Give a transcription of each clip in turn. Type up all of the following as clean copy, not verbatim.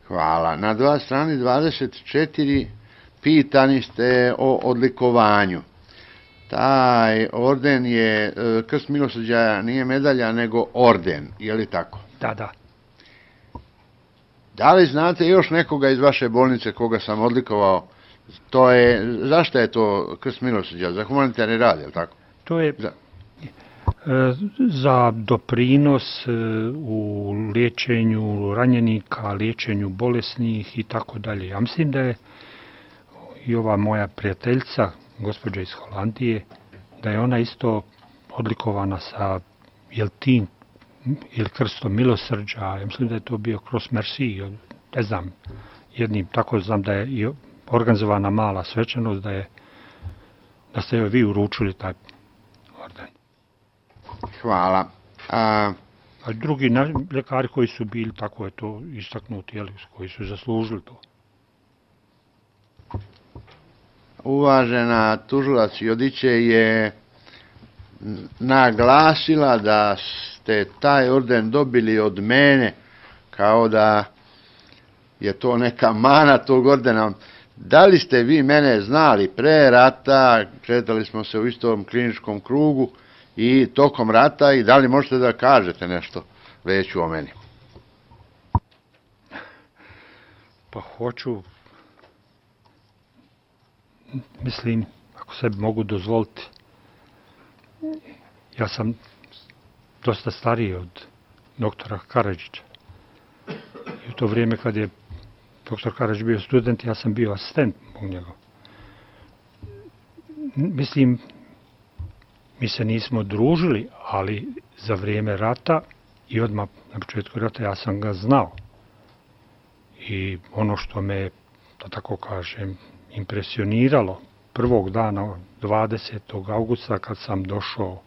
Hvala. Na strani 24 pitani ste o odlikovanju. Taj orden je, krst milosrđa nije medalja, nego orden, je li tako? Da. Da li znate još nekoga iz vaše bolnice koga sam odlikovao? Zašto je to krst milosrđa? Za humanitarni rad, je li tako? To je za doprinos u liječenju ranjenika, liječenju bolesnih i tako dalje. Ja mislim da je i ova moja prijateljica, gospođa iz Holandije, da je ona isto odlikovana sa ili krstom milosrđa. Ja mislim da je to bio Cross Merci, ne znam, jednim, tako znam da je i organizovana mala svečanost, da ste joj vi uručili taj orden. Hvala. A drugi ljekari koji su bili, tako je to istaknuti, koji su zaslužili to. Uvažena tužilac Jodiće je naglasila da ste taj orden dobili od mene, kao da je to neka mana tog ordena. Da li ste vi mene znali pre rata, kretali smo se u istom kliničkom krugu i tokom rata, i da li možete da kažete nešto veću o meni? Pa hoću, mislim, ako se mogu dozvoliti, ja sam dosta stariji od doktora Karadžića. I u to vrijeme kad je doktor Karadžić bio student, ja sam bio asistent u njega. Mislim, mi se nismo družili, ali za vrijeme rata i odmah na početku rata ja sam ga znao. I ono što me, da tako kažem, impresioniralo prvog dana, 20. augusta, kad sam došao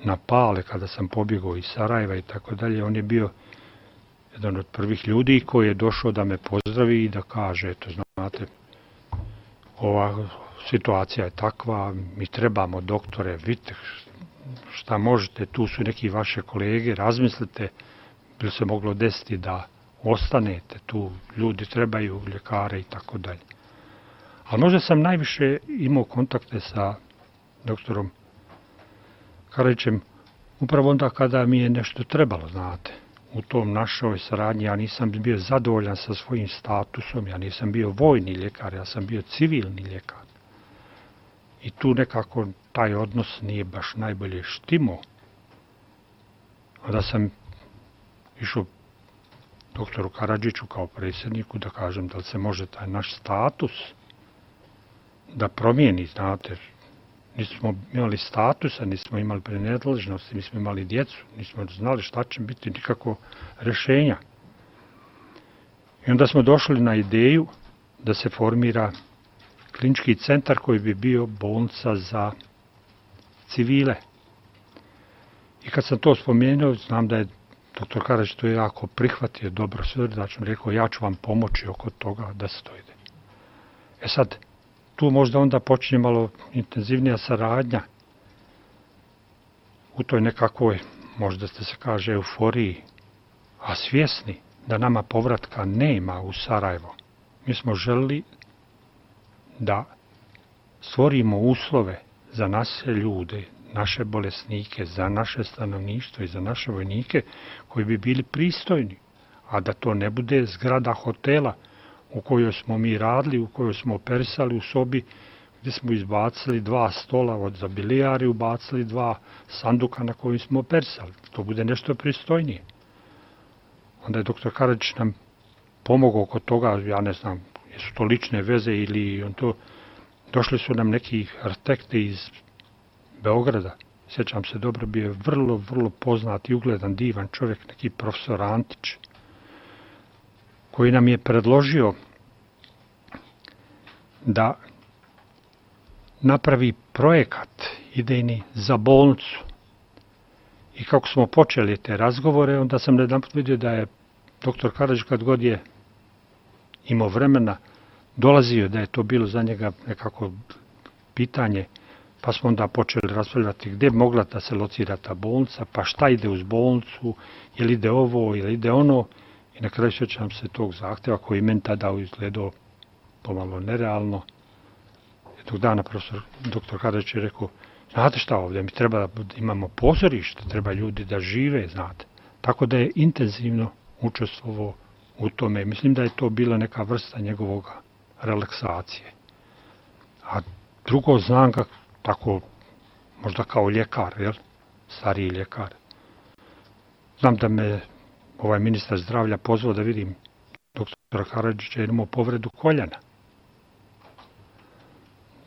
na Pale, kada sam pobjegao iz Sarajeva i tako dalje, on je bio jedan od prvih ljudi koji je došao da me pozdravi i da kaže, eto, znate, ova situacija je takva, mi trebamo doktore, vidite šta možete, tu su neki vaše kolege, razmislite, bi se moglo desiti da ostanete tu, ljudi trebaju ljekare i tako dalje. Ali možda sam najviše imao kontakte sa doktorom Karadžićem upravo onda kada mi je nešto trebalo, znate. U tom našoj saradnji ja nisam bio zadovoljan sa svojim statusom, ja nisam bio vojni ljekar, ja sam bio civilni ljekar. I tu nekako taj odnos nije baš najbolje štimo. Onda sam išao doktoru Karadžiću kao predsjedniku da kažem da li se može taj naš status da promijeni, znate. Nismo imali statusa, nismo imali prenadležnosti, nismo imali djecu, nismo znali šta će biti nikako rješenja. I onda smo došli na ideju da se formira klinički centar koji bi bio bolnica za civile. I kad sam to spomenuo, znam da je doktor Karadžić to jako prihvatio, dobro srdačno, rekao ja ću vam pomoći oko toga da se to ide. E sad, tu možda onda počinje malo intenzivnija saradnja u toj nekakvoj, možda ste se kaže, euforiji, a svjesni da nama povratka nema u Sarajevo. Mi smo želili da stvorimo uslove za naše ljude, naše bolesnike, za naše stanovništvo i za naše vojnike koji bi bili pristojni, a da to ne bude zgrada hotela u kojoj smo mi radili, u kojoj smo operisali u sobi gdje smo izbacili 2 stola za bilijar i ubacili 2 sanduka na kojim smo operisali. To bude nešto pristojnije. Onda je doktor Karadžić nam pomogao oko toga, ja ne znam, jesu to lične veze ili on to, došli su nam neki arhitekti iz Beograda. Sjećam se dobro, bio je vrlo poznat i ugledan, divan čovjek, neki profesor Antić, koji nam je predložio da napravi projekat idejni za bolnicu. I kako smo počeli te razgovore, onda sam jedanput vidio da je doktor Karadžić, kad god je imao vremena, dolazio, da je to bilo za njega nekako pitanje, pa smo onda počeli raspravljati gdje bi mogla da se locira ta bolnica, pa šta ide uz bolnicu, je li ide ovo, ili ide ono. I na kraju sjećam se tog zahtjeva koji meni tada izgledao pomalo nerealno. Jednog dana profesor dr. Karadžić je rekao, znate šta ovdje, mi treba da imamo pozorište, treba ljudi da žive, znate. Tako da je intenzivno učestvovao u tome. Mislim da je to bila neka vrsta njegovog relaksacije. A drugo znam ga tako, možda kao ljekar, jel? Stariji ljekar. Znam da me ovaj ministar zdravlja pozvao da vidim doktora Karadžića jer imao povredu koljena.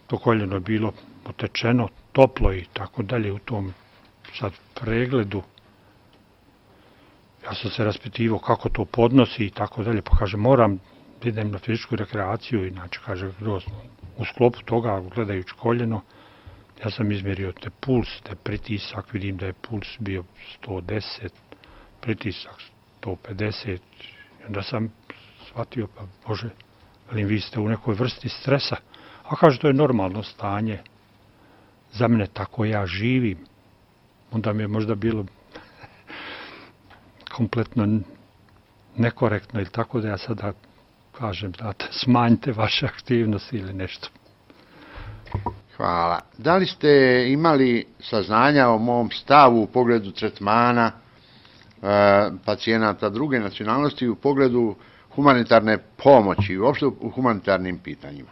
To koljeno je bilo otečeno, toplo i tako dalje u tom sad pregledu. Ja sam se raspitivao kako to podnosi i tako dalje, pa kaže moram da idem na fizičku rekreaciju, inače kaže u sklopu toga gledajući koljeno, ja sam izmjerio te puls, te pritisak, vidim da je puls bio 110, pritisak 150, i onda sam shvatio, pa Bože, velim, vi ste u nekoj vrsti stresa, a kaže to je normalno stanje, za mene tako ja živim, onda mi je možda bilo kompletno nekorektno ili tako da ja sada kažem, znate, smanjite vaše aktivnosti ili nešto. Hvala. Da li ste imali saznanja o mom stavu u pogledu tretmana pacijenata druge nacionalnosti u pogledu humanitarne pomoći i uopšte u humanitarnim pitanjima?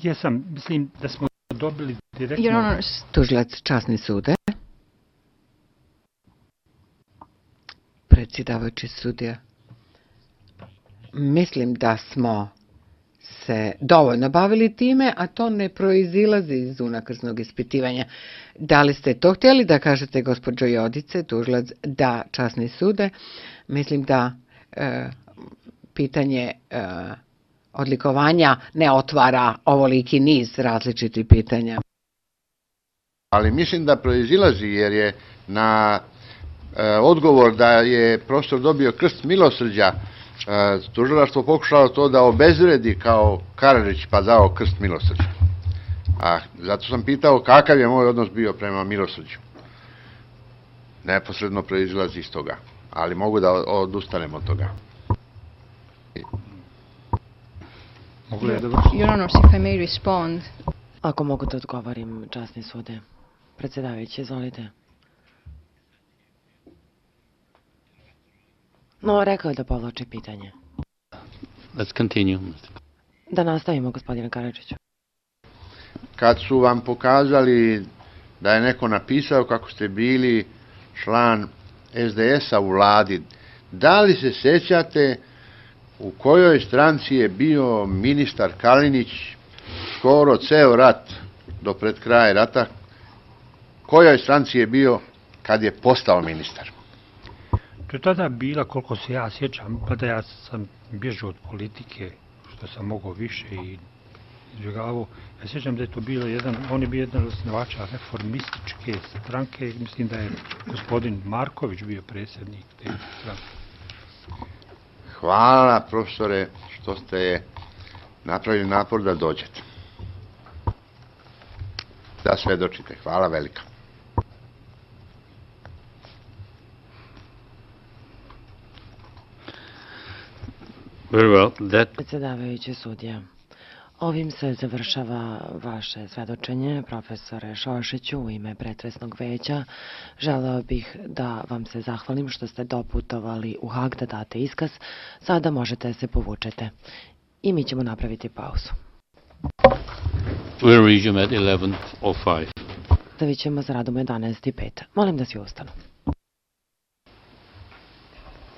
Jesam, mislim da smo dobili direktno... Tužilac časni sude. Predsjedavajući sudija. Mislim da smo se dovoljno bavili time, a to ne proizilazi iz unakrsnog ispitivanja. Da li ste to htjeli da kažete, gospođo Jodice, tužilac, da časni sude? Mislim da pitanje odlikovanja ne otvara ovoliki niz različitih pitanja. Ali mislim da proizilazi jer je na odgovor da je profesor dobio krst milosrđa, tužilaštvo pokušalo to da obezvredi kao Karadžić pa dao krst milosrđa. A zato sam pitao kakav je moj odnos bio prema milosrđu. Neposredno proizilazi iz toga, ali mogu da odustanem od toga. Your Honor, if I may respond. Ako mogu da odgovorim, časni sude. Predsjedavajući, izvolite. No, rekao je da povlači pitanje. Let's continue. Da nastavimo, gospodine Karadžiću. Kad su vam pokazali da je neko napisao kako ste bili član SDS-a u vladi, da li se sjećate u kojoj stranci je bio ministar Kalinić skoro ceo rat do pred kraja rata, kojoj stranci je bio kad je postao ministar? To je tada bila, koliko se ja sjećam, pa da ja sam bježao od politike, što sam mogao više i izbjegavao. Ja sjećam da je to bilo on je bio jedan od osnivača reformističke stranke, mislim da je gospodin Marković bio predsjednik te stranke. Hvala, profesore, što ste napravili napor da dođete. Da svedočite. Hvala velika. Very well. Predsjedavajući sudija, ovim se završava vaše svedočenje, profesore Šošiću, u ime pretresnog veća. Želeo bih da vam se zahvalim što ste doputovali u Hag da date iskaz. Sada možete se povučete. I mi ćemo napraviti pauzu. We'll resume at 11:05. Nastavit ćemo s radom u 11:05. Molim da svi ustanu.